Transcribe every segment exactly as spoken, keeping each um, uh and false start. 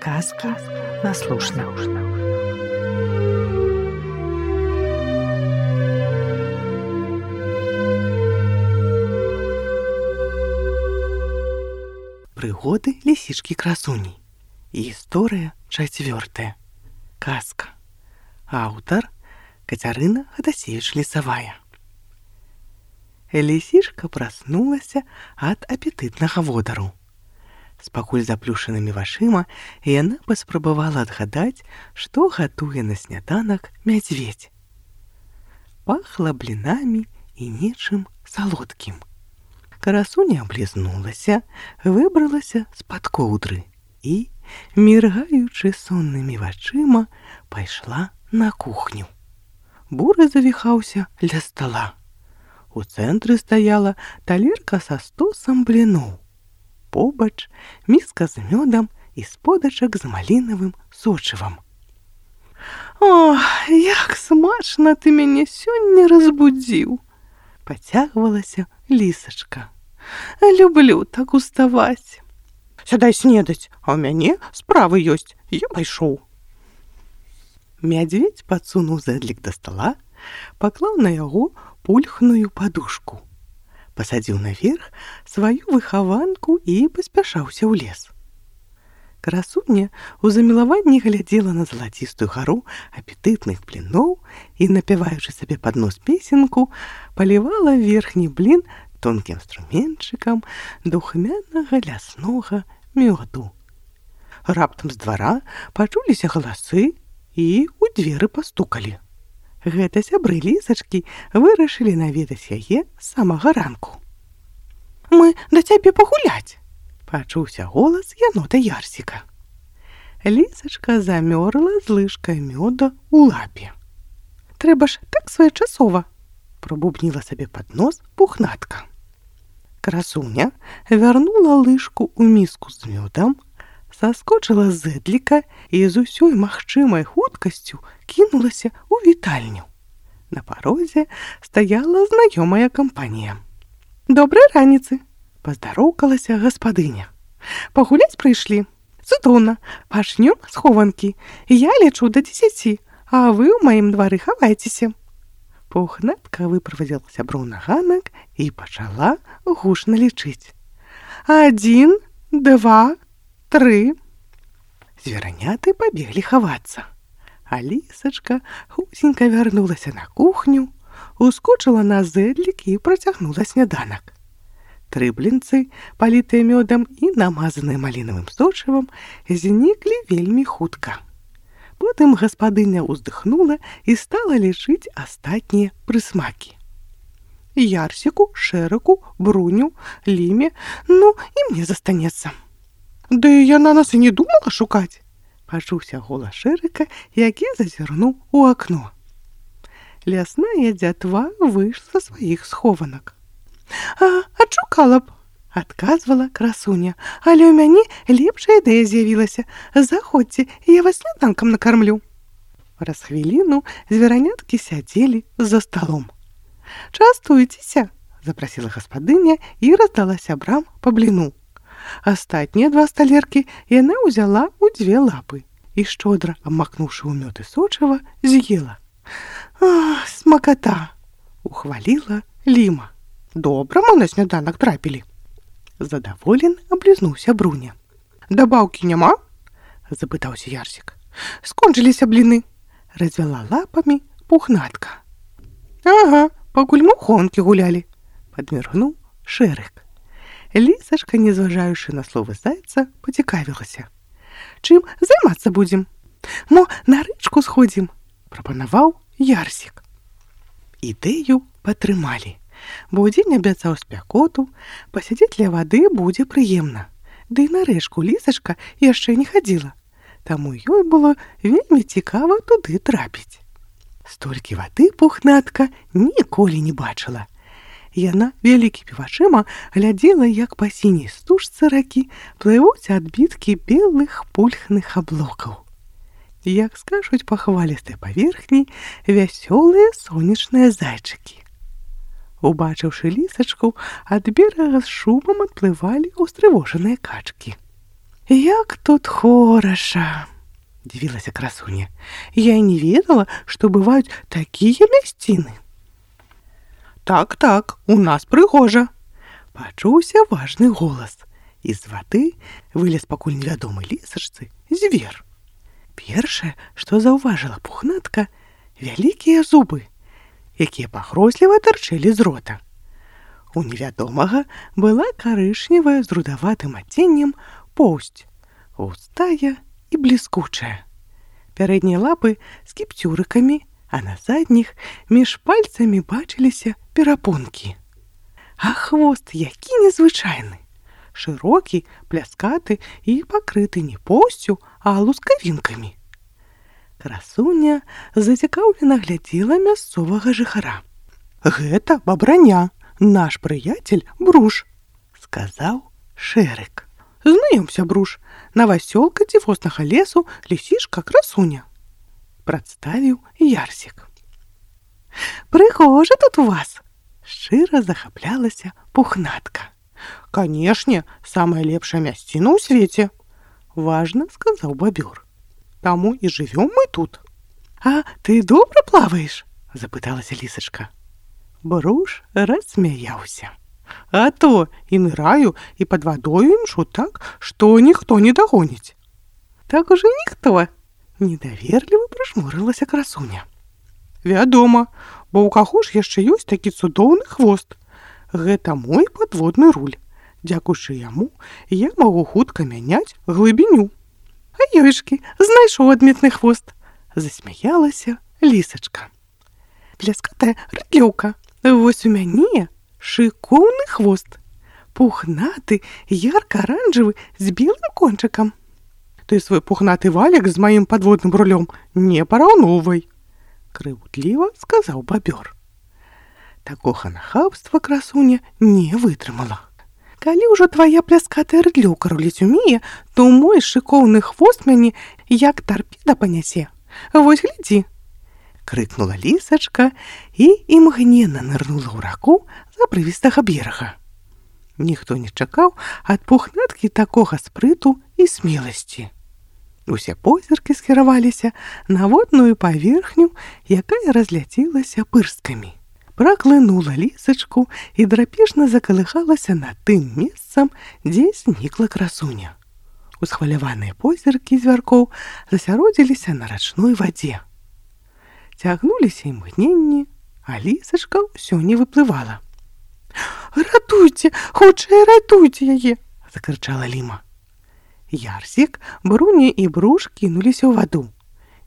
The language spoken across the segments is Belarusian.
Казки на слушна. Пригоды лисички-красуні. Історія четвертая. Казка. Автор Катерина Ходосевич-Лесовая. Лисичка проснулась от апетитного водару. С пакуль заплюшанымі вачыма яна паспрабавала адгадаць, што гатуе на сняданак мядзведзь. Пахла блінамі і нечым салодкім. Красуня аблізнулася, выбралася з-пад коўдры і, міргаючы соннымі вачыма, пайшла на кухню. Буры завіхаўся ля стала. У цэнтры стаяла талерка са стосам бліноў. Побач міска з мёдам і сподачак з малінавым сочывам. «О, як смачна ты мяне сёння разбудзіў!» — пацягвалася лісачка. «Люблю так уставаць. Сядай снедаць, а ў мяне справы ёсць, я пайшоў». Мядзведзь падсунуў зэдлік да стала, паклаў на яго пульхную падушку. Пасадзіў наверх сваю выхаванку і паспяшаўся ў лес. Красуня ў замілаванні глядзела на залацістую гару апетытных бліноў і, напяваючы сабе пад нос песенку, палівала верхні блін тонкім струменчыкам духмянага ляснога мёду. Раптам з двара пачуліся галасы і ў дзверы пастукалі. Гэта сябры лісачкі вырашылі наведаць яе з самага ранку. «Мы да цябе пагуляць!» — пачуўся голас янота Ярсіка. Лісачка замёрла з лыжкай мёда ў лапе. «Трэба ж так своечасова!» — пробубніла сабе пад нос пухнатка. Красуня вярнула лыжку ў міску з мёдам, саскочыла з зэдліка і з усёй магчымай хуткасцю кінулася ў вітальню. На парозе стаяла знаёмая кампанія. «Добрай раніцы!» — паздароўкалася гаспадыня. «Пагуляць прыйшлі? Цудоўна, пачнём з хованкі. Я лічу да дзесяці, а вы ў маім двары хавайцеся». Пухнатка выправадзіла сяброў на ганак і пачала гучна лічыць. «Адзін, два, тры». Звераняты пабеглі хавацца. А лісачка хусенька вярнулася на кухню, ускочыла на зэдлік і працягнула сняданак. Тры блінцы, палітыя мёдам і намазаныя малінавым сочывам, зніклі вельмі хутка. Потым гаспадыня ўздыхнула і стала лічыць астатнія прысмакі. Ярсіку, Шэраку, Бруню, Ліме, ну і мне застанецца. «Ды яна нас і не думала шукаць!» — пачуўся голас Шэрака, які зазірнуў у акно. Лясная дзятва выйшла са сваіх схованак. «А, адшукала б!» — адказвала красуня. «Але ў мяне лепшая ідэя з'явілася. Заходзьце, я вас сняданкам накармлю». Праз хвіліну звераняткі сядзелі за сталом. «Частуйцеся!» — запрасіла гаспадыня і раздала сябрам па бліну. Астатнія два сталеркі яна ўзяла ў дзве лапы і, шчодра абмакнуўшы ў мёд і сочыва, з'ела. «Ах, смаката!» — ухваліла Ліма. «Добра мы на сняданак трапілі!» Задаволен аблізнуўся Бруня. «Дабаўкі няма?» — запытаўся Ярсік. «Скончыліся бліны!» — развяла лапамі пухнатка. «Ага, пакуль мы ў хованкі гулялі!» — падміргнуў Шэрык. Лісачка, не зважаючы на словы зайца, пацікавілася. «Чым займацца будзем?» «Мо на рэчку сходзім!» — прапанаваў Ярсік. Ідэю падтрымалі, бо дзень абяцаў спякоту, пасядзець ля вады будзе прыемна. Ды і на рэчку лісачка яшчэ не хадзіла, таму ёй было вельмі цікава туды трапіць. Столькі вады пухнатка ніколі не бачыла. Яна вялікімі вачыма глядзела, як па сіняй стужцы ракі плывуць адбіткі белых пульхных аблокаў. Як скачуць па хвалістай паверхні вясёлыя сонечныя зайчыкі. Убачыўшы лісачку, ад берага з шумам адплывалі ўстрывожаныя качкі. Як тут хораша! Дзівілася красуня. Я і не ведала, што бываюць такія мясціны. Так, так, у нас прыгожа. Пачуўся важны голас. І з вады вылез пакуль невядомы лісачцы звер. Першае, што заўважыла пухнатка, вялікія зубы, якія пагрозліва тарчэлі з рота. У невядомага была карычневая з рудаватым адценнем поўсць, густая і бліскучая. Пярэднія лапы з кіпцюрыкамі, а на задніх між пальцамі бачыліся перапонкі. А хвост які незвычайны! Шырокі, пляскаты і пакрыты не поўсцю, а лускавінкамі. Красуня зацікаўлена глядзела мясцовага жыхара. «Гэта бабраня, наш прыяцель Бруш», — сказаў Шэрык. «Знаёмся, Бруш, навасёлка дзівоснага лесу лісішка красуня», — прадставіў Ярсік. «Прыгожа тут у вас!» — шчыра захаплялася пухнатка. «Канешне, самая лепшая мясціна ў свеце», — важна сказаў бабёр. «Таму і жывём мы тут». «А ты добра плаваеш?» — запыталася лісачка. Бруш рассмяяўся. «А то і ныраю, і пад вадою імшу так, што ніхто не дагоніць». «Так уже ніхто?» — недаверліва прыжмурылася красуня. «Вядома, бо ў каго ж яшчэ ёсць такі цудоўны хвост? Гэта мой падводны руль. Дзякуючы яму я магу хутка мяняць глыбіню». «А ёшкі, знайшоў адметны хвост!» — засмяялася лісачка. «Пляскатая рыдлёўка, вось у мяне шыкоўны хвост, пухнаты, ярка-аранжавы з белым кончыкам». «Ты свой пухнаты валік з маім падводным рулём не параўноўвай!» — крыўдліва сказаў бабёр. Такога нахабства красуня не вытрымала. «Калі ўжо твая пляскатая рыдлёўка руліць умее, то мой шыкоўны хвост мяне як тарпеда панясе. Вось глядзі!» — крыкнула лісачка і імгненна нырнула ў раку з абрывістага берага. Ніхто не чакаў ад пухнаткі такога спрыту і смеласці. Усе позіркі скіраваліся на водную паверхню, якая разляцілася пырскамі. Праклынула лісачку і драпежна закалыхалася над тым месцам, дзе знікла красуня. Усхваляваныя позіркі звяркоў засяродзіліся на рачной вадзе. Цягнуліся імгненні, а лісачка ўсё не выплывала. «Ратуйце, хутчэй ратуйце яе!» — закрычала Ліма. Ярсік, Бруня і Бруш кінуліся ў ваду.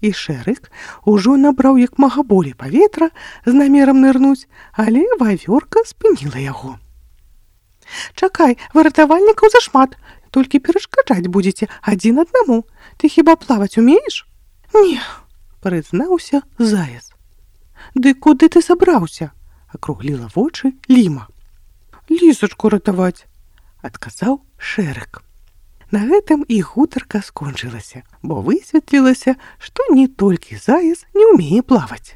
І Шэрык ужо набраў як мага болей паветра з намерам нырнуць, але вавёрка спыніла яго. «Чакай, выратавальнікаў зашмат, толькі перашкаджаць будзеце адзін аднаму. Ты хіба плаваць умееш?» «Не», — прызнаўся заяц. «Ды куды ты сабраўся?» — акругліла вочы Ліма. «Лісачку ратаваць», — адказаў Шэрык. На гэтым і гутарка скончылася, бо высветлілася, што не толькі заяц не ўмее плаваць.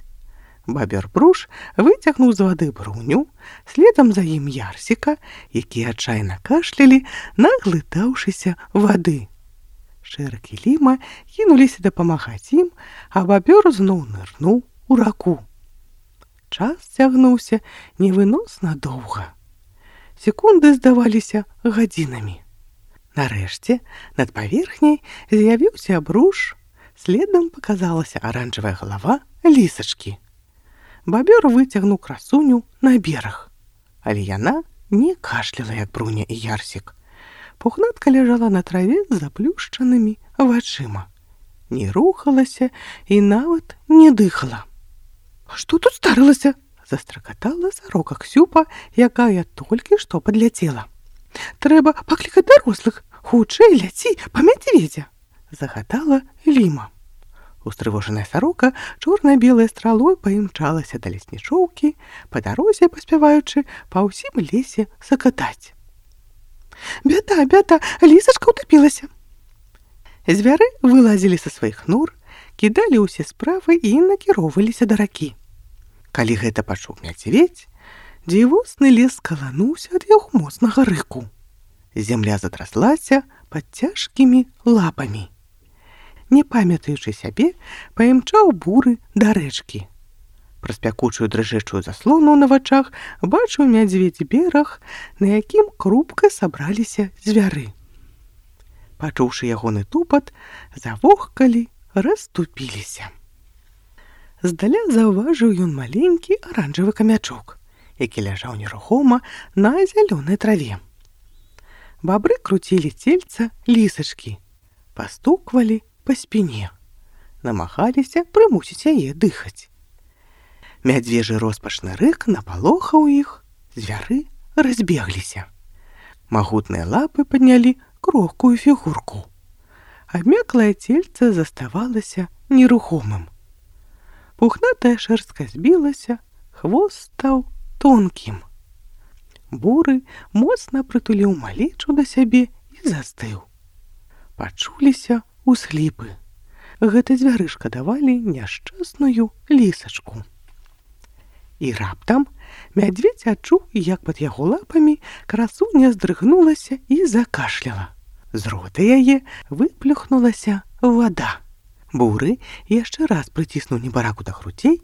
Бабёр Бруш выцягнуў з вады Бруню, следам за ім Ярсіка, якія адчайна кашлялі, наглытаўшыся вады. Шэрык і Ліма кінуліся дапамагаць ім, а бабёр зноў нырнуў у раку. Час цягнуўся невыносна доўга. Секунды здаваліся гадзінамі. Нарэшце над паверхняй з'явіўся Бруш, следам паказалася аранжавая галава лісачкі. Бабёр выцягнуў красуню на бераг, але яна не кашляла, як Бруня і Ярсік. Пухнатка ляжала на траве з заплюшчанымі вачыма, не рухалася і нават не дыхала. «Што тут здарылася?» — застракатала сарока Ксюпа, якая толькі што падляцела. «Трэба паклікаць дарослых, хутчэй ляці па мядзведзя!» — загадала Ліма. Устрывожаная сарока чорна-белай стралой паімчалася да леснічоўкі, па дарозе паспяваючы па ўсім лесе сакатаць. «Бяда, бяда, лісачка ўтапілася!» Звяры вылазілі са сваіх нор, кідалі ўсе справы і накіроўваліся да ракі. Калі гэта пачуў мядзведзь, дзівосны лес скалануўся ад яго моцнага рыку. Зямля затраслася пад цяжкімі лапамі. Не памятаючы сябе, паімчаў Буры да рэчкі. Праз пякучую дрыжэчую заслону на вачах бачыў мядзведзь бераг, на якім крупка сабраліся звяры. Пачуўшы ягоны тупат, завохкалі, расступіліся. Здаля заўважыў ён маленькі аранжавы камячок, які ляжаў нерухома на зялёнай траве. Бабры круцілі цельца лісачкі, пастуквалі па спіне, намагаліся прымусіць яе дыхаць. Мядзвежы роспачны рык напалохаў іх, звяры разбегліся. Магутныя лапы паднялі крохкую фігурку. Абмяклае цельца заставалася нерухомым. Пухнатая шэрстка збілася, хвост стаў тонкім. Буры моцна прытуліў малечу да сябе і застыў. Пачуліся усхліпы. Гэта звяры шкадавалі няшчасную лісачку. І раптам мядзведзь адчуў, як пад яго лапамі красуня здрыгнулася і закашляла. З рота яе выплюхнулася вада. Буры яшчэ раз прыціснуў небараку да грудзей,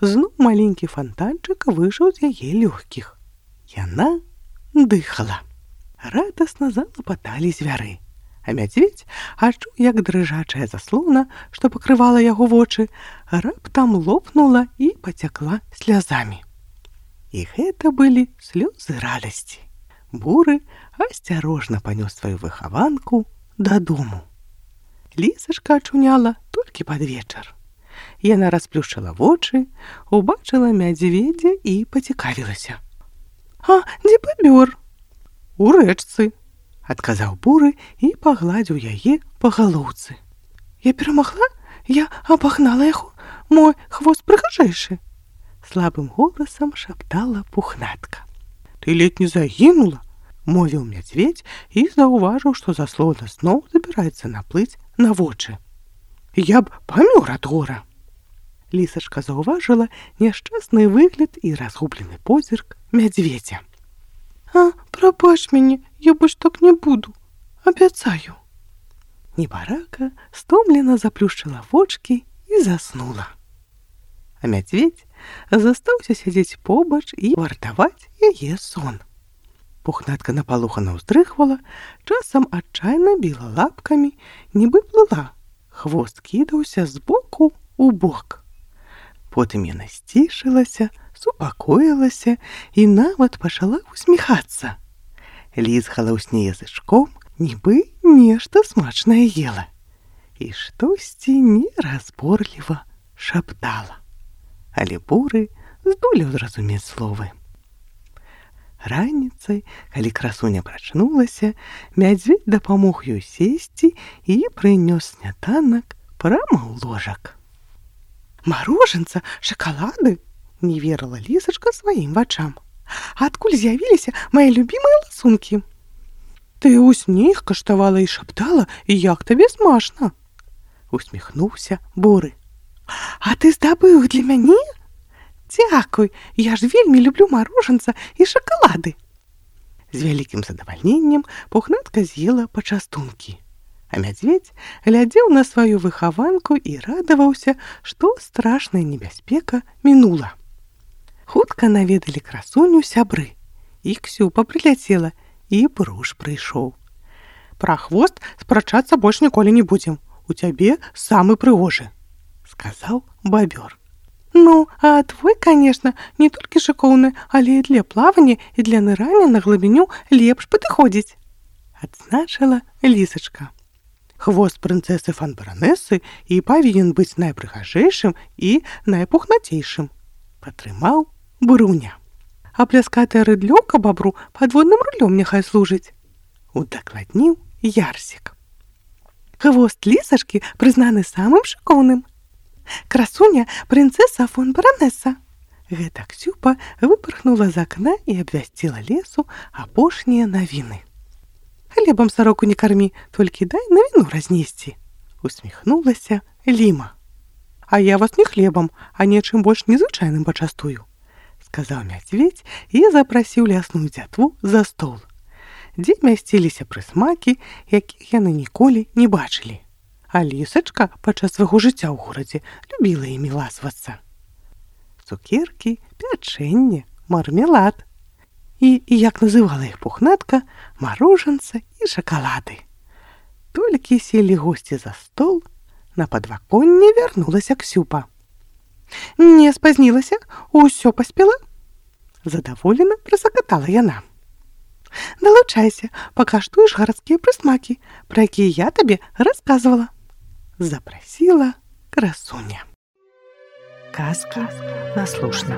зноў маленькі фантанчык выйшаў з яе лёгкіх. Яна дыхала. Радасна залапаталі звяры. А мядзведзь адчуў, як дрыжачая заслона, што пакрывала яго вочы, раптам лопнула і пацякла слязамі. І гэта былі слёзы радасці. Буры асцярожна панёс сваю выхаванку дадому. Лісачка ачуняла толькі пад вечар. Яна расплюшчыла вочы, убачыла мядзведзя і пацікавілася. «А дзе пабёр?» «У рэчцы», — адказаў Буры і пагладзіў яе па галоўцы. «Я перамагла? Я абагнала яго? Мой хвост прыгажэйшы!» Слабым голасам шаптала пухнатка. «Ты ледзь не загінула!» — мовіў мядзведзь і заўважыў, што заслона зноў забіраецца наплыць на вочы. «Я б памёр ад гора!» Лісачка заўважыла няшчасны выгляд і разгублены позірк мядзведзя. «А, прабач мяне, я больш так не буду, абяцаю!» Небарака стомлена заплюшчыла вочкі і заснула. А мядзведзь застаўся сядзець побач і вартаваць яе сон. Пухнатка напалохана ўздрыгвала, часам адчайна біла лапкамі, нібы плыла. Хвост кідаўся з боку ў бок. Потым яна сцішылася, супакоілася і нават пачала усміхацца. Лізгала ў сне язычком, нібы нешта смачнае ела. І штосьці неразборліва шаптала. Але Буры здолеў зразумець словы. Раніцай, калі красуня прачнулася, мядзведзь дапамог ёй сесці і прынёс снятанак прама ў ложак. «Марожанца, шакалады!» — не верыла лісачка сваім вачам. «Адкуль з'явіліся мае любімыя ласункі?» «Ты ў сне іх каштавала і шаптала, як табе смачна!» — усміхнуўся Буры. «А ты здабыў іх для мяне? Дзякуй, я ж вельмі люблю марожанца і шакалады!» З вялікім задавальненнем пухнатка з'ела пачастункі. А мядзведзь глядзеў на сваю выхаванку і радаваўся, што страшная небяспека мінула. Хутка наведалі красуню сябры. І Ксюпа прыляцела, і Бруш прыйшоў. «Пра хвост спрачацца больш ніколі не будзем. У цябе самы прыгожы», — сказаў бабёр. «Ну, а твой, конечно, не толькі шыкоўны, але і для плавання, і для нырання на глыбіню лепш падыходзіць», — адзначыла лісачка. «Хвост прынцэсы Фанбаранэсы і павінен быць найпрыгажэйшым і найпухнацейшым», — падтрымаў Бруня. «А пляскатая рыдлёўка бабру падводным рулём няхай служыць», — удакладніў Ярсік. «Хвост лісачкі прызнаны самым шыкоўным. Красуня прынцэса Фанбаранэса». Гэта Ксюпа выпырхнула з акна і абвясціла лесу апошнія навіны. «Хлебам сароку не кармі, толькі дай навіну разнесці», — усміхнулася Ліма. «А я вас не хлебам, а нечым больш незвычайным пачастую», — сказаў мядзведзь і запрасіў лясную дзятву за стол. дзе мясціліся прысмакі, якіх яны ніколі не бачылі. А лісачка падчас свайго жыцця ў горадзе любіла імі ласавацца. Цукеркі, пячэнне, мармелад. І, як называла іх пухнатка, марожанца і шакалады. Толькі селі госці за стол, на падваконне вярнулася Ксюпа. «Не спазнілася, усё паспела?» Задаволена прасакатала яна. «Далучайся, пакаштуеш гарадскія прысмакі, пра якія я табе расказвала», запрасіла красуня. Казка наслушна.